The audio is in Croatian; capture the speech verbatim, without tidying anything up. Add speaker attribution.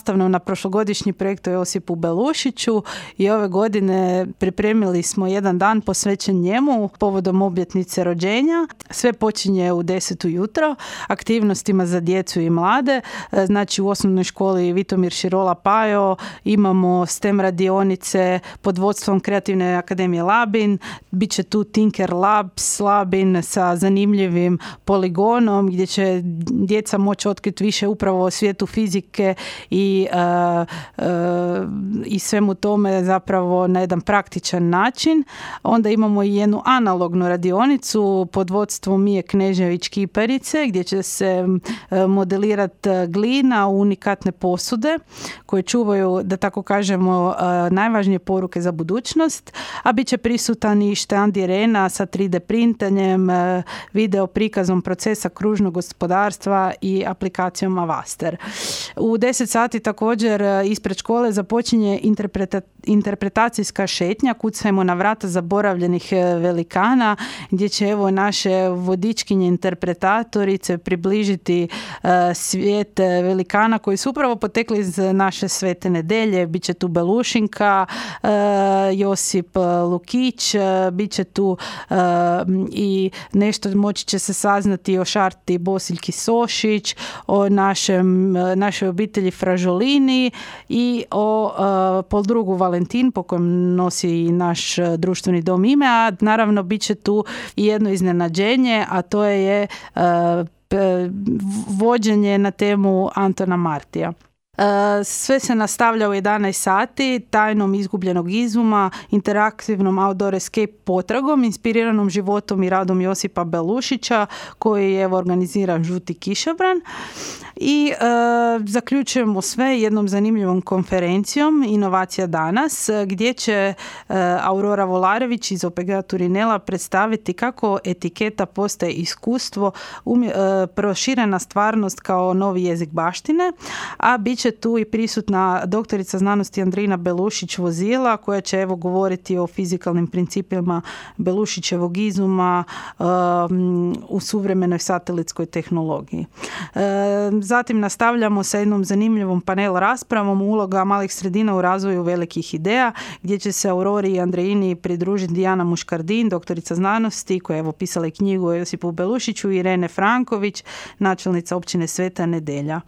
Speaker 1: nastavno na prošlogodišnji projekt o Josipu Belušiću i ove godine pripremili smo jedan dan posvećen njemu povodom obljetnice rođenja. Sve počinje u deset ujutro aktivnostima za djecu i mlade. Znači u osnovnoj školi Vitomir Širola Pajo imamo STEM radionice pod vodstvom Kreativne akademije Labin. Biće tu Tinker Labs Labin sa zanimljivim poligonom gdje će djeca moći otkriti više upravo o svijetu fizike i, uh, uh, i svemu tome zapravo na jedan praktičan način. Onda imamo i jednu analognu radionicu pod vodstvom Mije Knežević-Kiparice gdje će se uh, modelirati glina u unikatne posude koje čuvaju, da tako kažemo, uh, najvažnije poruke za budućnost, a bit će prisutan i štand Irena sa tri D printanjem, uh, video prikazom procesa kružnog gospodarstva i aplikacijom Avaster. U deset sati također ispred škole započinje interpreta- interpretacijska šetnja Kucajmo na vrata zaboravljenih velikana, gdje će evo naše vodičkinje interpretatorice približiti uh, svijet velikana koji su upravo potekli iz naše Svete Nedelje. Biće tu Belušinka, uh, Josip Lukić, uh, bit će tu uh, i nešto moći će se saznati o Šarti Bosiljki Sošić, o našem, našoj obitelji Fražolini i o uh, poldrugu Valentin po kojem nosi i naš društveni dom ime, a naravno bit će tu i jedno iznenađenje, a to je uh, vođenje na temu Antona Martija. Sve se nastavlja u jedanaest sati tajnom izgubljenog izuma, interaktivnom outdoor escape potragom, inspiriranom životom i radom Josipa Belušića koji je organiziran Žuti kišobran. I e, zaključujemo sve jednom zanimljivom konferencijom Inovacija danas, gdje će e, Aurora Volarević iz O P G-a Turinela predstaviti kako etiketa postaje iskustvo, umje, e, proširena stvarnost kao novi jezik baštine, a bit će tu i prisutna doktorica znanosti Andrina Belušić-Vozila koja će evo govoriti o fizikalnim principima Belušićevog izuma e, u suvremenoj satelitskoj tehnologiji. E, Zatim nastavljamo sa jednom zanimljivom panel raspravom uloga malih sredina u razvoju velikih ideja, gdje će se Aurori i Andreini pridružiti Dijana Muškardin, doktorica znanosti, koja je evo pisala i knjigu o Josipu Belušiću, i Irene Franković, načelnica općine Sveta Nedelja.